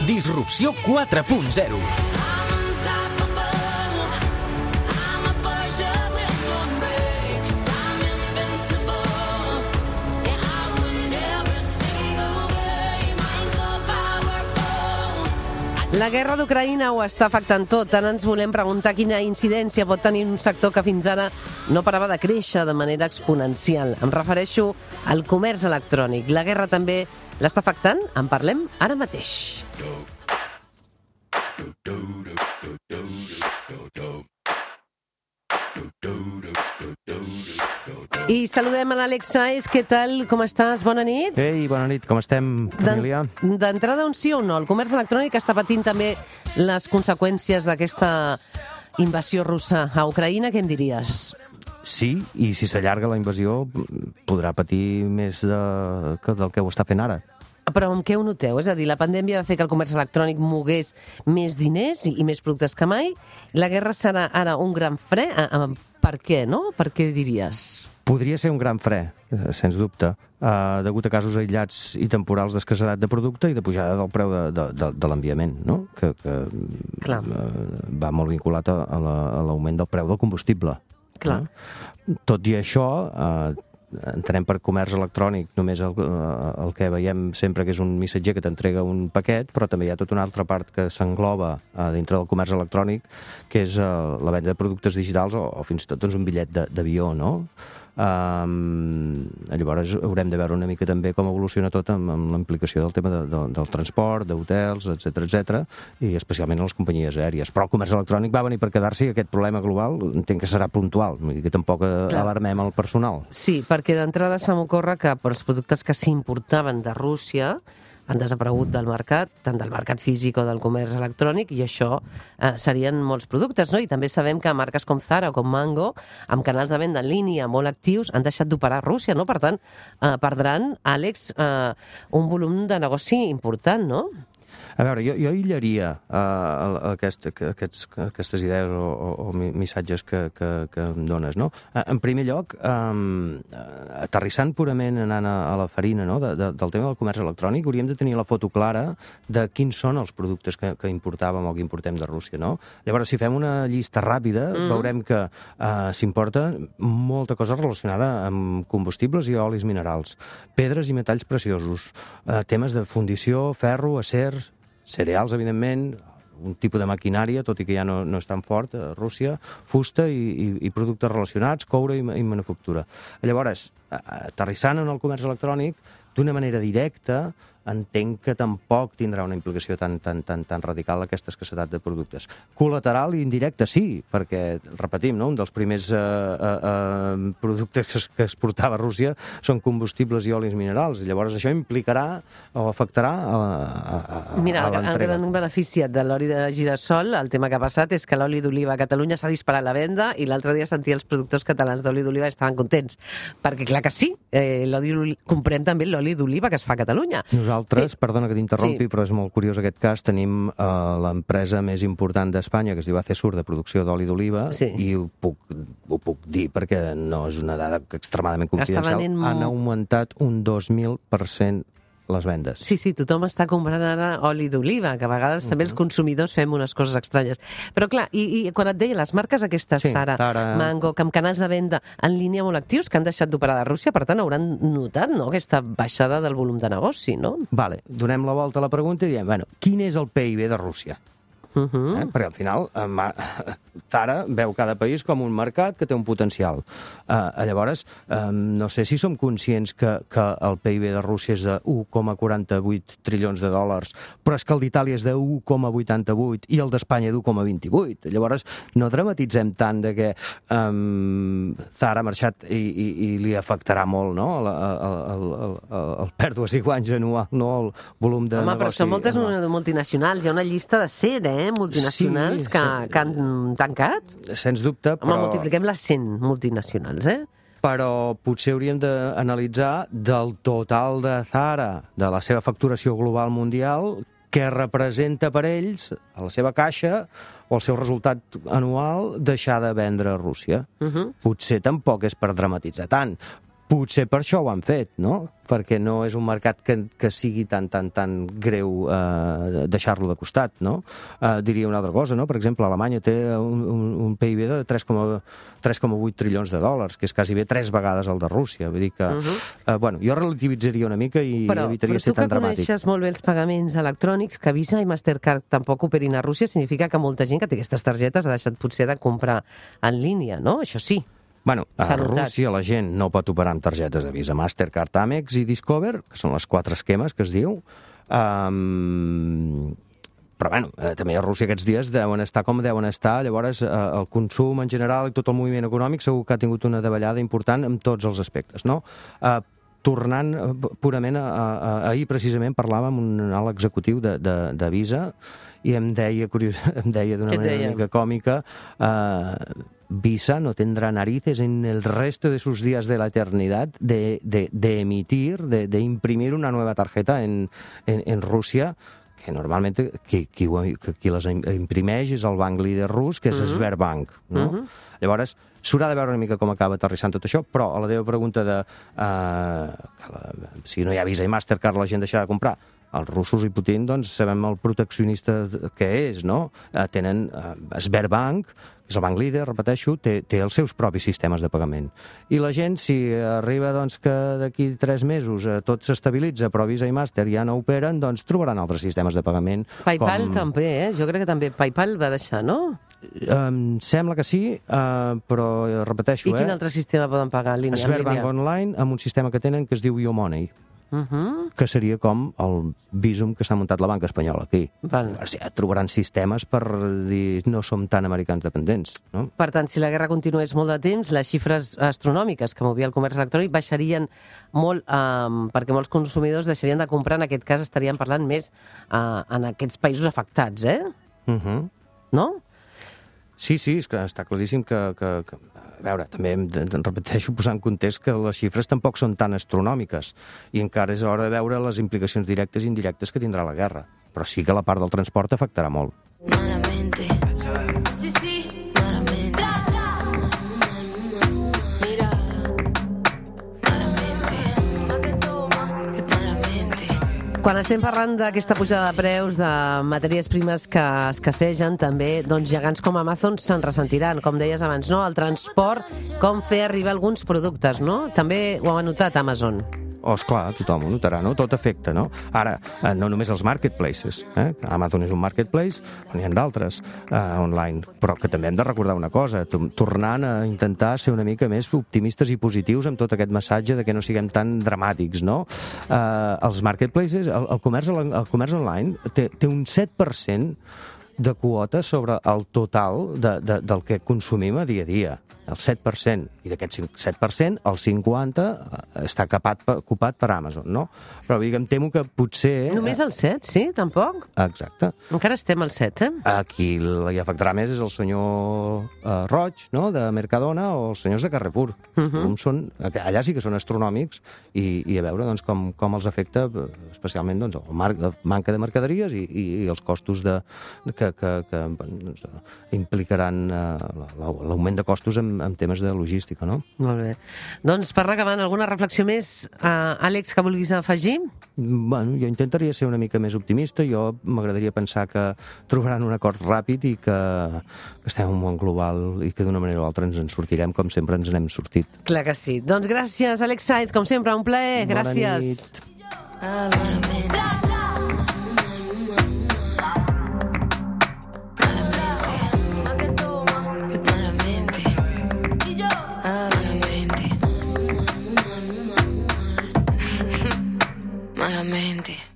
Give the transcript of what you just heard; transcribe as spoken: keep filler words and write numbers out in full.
Disrupció quatre punt zero. La guerra d'Ucraïna ho està afectant tot. Tant ens volem preguntar quina incidència pot tenir un sector que fins ara no parava de créixer de manera exponencial. Em refereixo al comerç electrònic. La guerra també l'està afectant? En parlem ara mateix. I saludem a l'Àlex Sáez. Què tal? Com estàs? Bona nit. Ei, bona nit. Com estem, família? D'entrada, un sí o un no? El comerç electrònic està patint també les conseqüències d'aquesta invasió russa a Ucraïna. Què em diries? Sí, i si s'allarga la invasió podrà patir més de, que del que ho està fent ara. Però amb què ho noteu? És a dir, la pandèmia va fer que el comerç electrònic mogués més diners i més productes que mai. La guerra serà ara un gran fre. Per què, no? Per què diries? Podria ser un gran fre, sens dubte, uh, degut a casos aïllats i temporals d'escassedat de producte i de pujada del preu de, de, de, de l'enviament, no? que, que uh, va molt vinculat a, a l'augment del preu del combustible. Clar. No? Tot i això, uh, entenem per comerç electrònic només el, el que veiem sempre que és un missatger que t'entrega un paquet, però també hi ha tota una altra part que s'engloba uh, dintre del comerç electrònic, que és uh, la venda de productes digitals o, o fins i tot doncs, un bitllet d'avió, no? Um, llavors haurem de veure una mica també com evoluciona tot amb, amb la implicació del tema de, de, del transport, d'hotels, etcètera, etcètera, i especialment a les companyies aèries. Però el comerç electrònic va venir per quedar-se i aquest problema global entenc que serà puntual, que tampoc Clar. alarmem el personal. Sí, perquè d'entrada se m'ocorre que els productes que s'importaven de Rússia han desaparegut del mercat, tant del mercat físic o del comerç electrònic, i això eh, serien molts productes, no? I també sabem que marques com Zara o com Mango, amb canals de venda en línia molt actius, han deixat d'operar a Rússia, no? Per tant, eh, perdran, Àlex, eh, un volum de negoci important, no? A veure, jo, jo aïllaria uh, aquest, aquests, aquestes idees o, o, o missatges que, que, que em dones, no? En primer lloc, um, aterrissant purament anant a, a la farina, no? de, de, del tema del comerç electrònic, hauríem de tenir la foto clara de quins són els productes que, que importàvem o que importem de Rússia, no? Llavors, si fem una llista ràpida, mm. veurem que uh, s'importa molta cosa relacionada amb combustibles i olis minerals, pedres i metalls preciosos, uh, temes de fundició, ferro, acers, cereals, evidentment, un tipus de maquinària, tot i que ja no, no és tan fort, a Rússia, fusta i, i, i productes relacionats, coure i, i manufactura. Llavors, aterrissant en el comerç electrònic, d'una manera directa, entenc que tampoc tindrà una implicació tan, tan, tan, tan radical aquesta escassedat de productes. Col·lateral i indirecta, sí, perquè, repetim, no? un dels primers eh, eh, productes que exportava Rússia són combustibles i olis minerals. Llavors això implicarà o afectarà a, a, a, Mira, a l'entrega. el gran beneficiat de l'oli de girassol, el tema que ha passat és que l'oli d'oliva a Catalunya s'ha disparat la venda i l'altre dia sentia els productors catalans d'oli d'oliva estaven contents. Perquè clar que sí, eh, comprem també l'oli d'oliva que es fa a Catalunya. Nosaltres, perdona que t'interrompi, sí. però és molt curiós aquest cas, tenim uh, l'empresa més important d'Espanya, que es diu Acesur, de producció d'oli d'oliva, sí. i ho puc, ho puc dir perquè no és una dada extremadament confidencial, venent... han augmentat un dos mil per cent les vendes. Sí, sí, tothom està comprant ara oli d'oliva, que a vegades uh-huh. també els consumidors fem unes coses estranyes. Però clar, i, i quan et deia, les marques aquestes, sí, Zara, Zara, Mango, que amb canals de venda en línia molt actius, que han deixat d'operar de Rússia, per tant hauran notat, no?, aquesta baixada del volum de negoci, no? Vale, donem la volta a la pregunta i diem, bueno, quin és el P I B de Rússia? Uh-huh. eh? Perquè al final eh, Zara veu cada país com un mercat que té un potencial. Eh, llavors, eh, no sé si som conscients que, que el P I B de Rússia és de u coma quaranta-vuit trilions de dòlars, però és que el d'Itàlia és de u coma vuitanta-vuit i el d'Espanya d'u coma vint-i-vuit. Llavors, no dramatitzem tant de que eh, Zara ha marxat i, i, i li afectarà molt, no?, el, el, el, el, el pèrdues i guanys anual, no?, el volum de Home, negoci. però són moltes anual. multinacionals, hi ha una llista de cent, eh? multinacionals sí, que, sí. que han tancat. Sens dubte, però... Home, multipliquem les cent multinacionals, eh? Però potser hauríem d'analitzar del total de Zara, de la seva facturació global mundial, què representa per ells, a la seva caixa, o el seu resultat anual, deixar de vendre a Rússia. Uh-huh. Potser tampoc és per dramatitzar tant. Potser per això ho han fet, no? Perquè no és un mercat que, que sigui tan, tan, tan greu eh, deixar-lo de costat, no? Eh, diria una altra cosa, no? Per exemple, Alemanya té un, un, un P I B de tres coma vuit trilions de dòlars, que és quasi bé tres vegades el de Rússia. Vull dir que, uh -huh. eh, bueno, jo relativitzaria una mica i però, evitaria però ser tan dramàtic. Però tu que coneixes molt bé els pagaments electrònics, que Visa i Mastercard tampoc operin a Rússia, significa que molta gent que té aquestes targetes ha deixat potser de comprar en línia, no? Això sí. Bueno, a Rússia la gent no pot operar amb targetes de Visa, Mastercard, Amex i Discover, que són les quatre esquemes que es diu. Um, però, bueno, eh, també a Rússia aquests dies deuen estar com deuen estar. Llavors, eh, el consum en general i tot el moviment econòmic segur que ha tingut una davallada important en tots els aspectes, no? Uh, tornant uh, purament a, a, a, ahir precisament parlava amb un alt executiu de, de, de Visa i em deia, curiós, em deia d'una manera una mica còmica uh, Visa no tendrá narices en el resto de sus días de la eternidad de, de, de emitir, de, de imprimir una nueva tarjeta en, en, en Rússia, que normalment qui, qui, qui les imprimeix és el banc líder rus, que és uh -huh. Sberbank, no? Uh -huh. Llavors, s'haurà de veure una mica com acaba aterrissant tot això, però a la teva pregunta de uh, que la, si no hi ha Visa i Mastercard la gent deixarà de comprar, els russos i Putin, doncs, sabem el proteccionista que és, no? Uh, tenen uh, Sberbank, és el banc líder, repeteixo, té, té els seus propis sistemes de pagament. I la gent, si arriba doncs, que d'aquí tres mesos eh, tot s'estabilitza, però Visa i Master ja no operen, doncs trobaran altres sistemes de pagament. PayPal com... també, eh? Jo crec que també PayPal va deixar, no? Em sembla que sí, uh, però repeteixo... I quin eh? altre sistema poden pagar en línia? Sberbank Online, amb un sistema que tenen que es diu YoMoney. Uh -huh. Que seria com el Visum que s'ha muntat la banca espanyola aquí. Val. Ja trobaran sistemes per dir no som tan americans dependents, no? Per tant, si la guerra continués molt de temps, les xifres astronòmiques que movia el comerç electrònic baixarien molt, um, perquè molts consumidors deixarien de comprar, en aquest cas estaríem parlant més uh, en aquests països afectats, eh? Uh -huh. No? Sí, sí, és que està claríssim que... que, que a veure, també em, em repeteixo posant en context que les xifres tampoc són tan astronòmiques i encara és hora de veure les implicacions directes i indirectes que tindrà la guerra. Però sí que la part del transport afectarà molt. Malamente. Sí, sí, malamente. Mira. Malamente. Que toma, que malamente. Quan estem parlant d'aquesta pujada de preus de matèries primes que escassegen, també doncs, gegants com Amazon se'n ressentiran, com deies abans, no? El transport, com fer arribar alguns productes, no? També ho ha notat Amazon. Oh, esclar, tothom ho notarà, no? Tot afecta, no? Ara, eh, no només els marketplaces, eh? Amazon és un marketplace, n'hi ha d'altres eh, online, però que també hem de recordar una cosa, tornant a intentar ser una mica més optimistes i positius amb tot aquest missatge de que no siguem tan dramàtics, no? Eh, els marketplaces, el, el, comerç, el comerç online té, té un set per cent de quota sobre el total de, de, del que consumim a dia a dia. El set per cent. I d'aquest set per cent, el cinquanta per cent està capat, ocupat per Amazon, no? Però dic, em temo que potser... Només el set, sí? Tampoc? Exacte. Encara estem al set, eh? Aquí hi afectarà més és el senyor uh, Roig, no?, de Mercadona, o els senyors de Carrefour. Uh -huh. són, allà sí que són astronòmics i, i a veure doncs, com, com els afecta especialment doncs, el mar, la manca de mercaderies i, i, i els costos de, que, que, que doncs, implicaran uh, l'augment de costos en, en temes de logística, no? Molt bé. Doncs per acabant, alguna reflexió més, uh, Àlex, que vulguis afegir? Bueno, jo intentaria ser una mica més optimista. Jo m'agradaria pensar que trobaran un acord ràpid i que, que estem en un món global i que d'una manera o altra ens en sortirem com sempre ens n'hem sortit. Clar que sí. Doncs gràcies, Àlex Said, com sempre, un plaer. Bona gràcies. Nit. Malamente.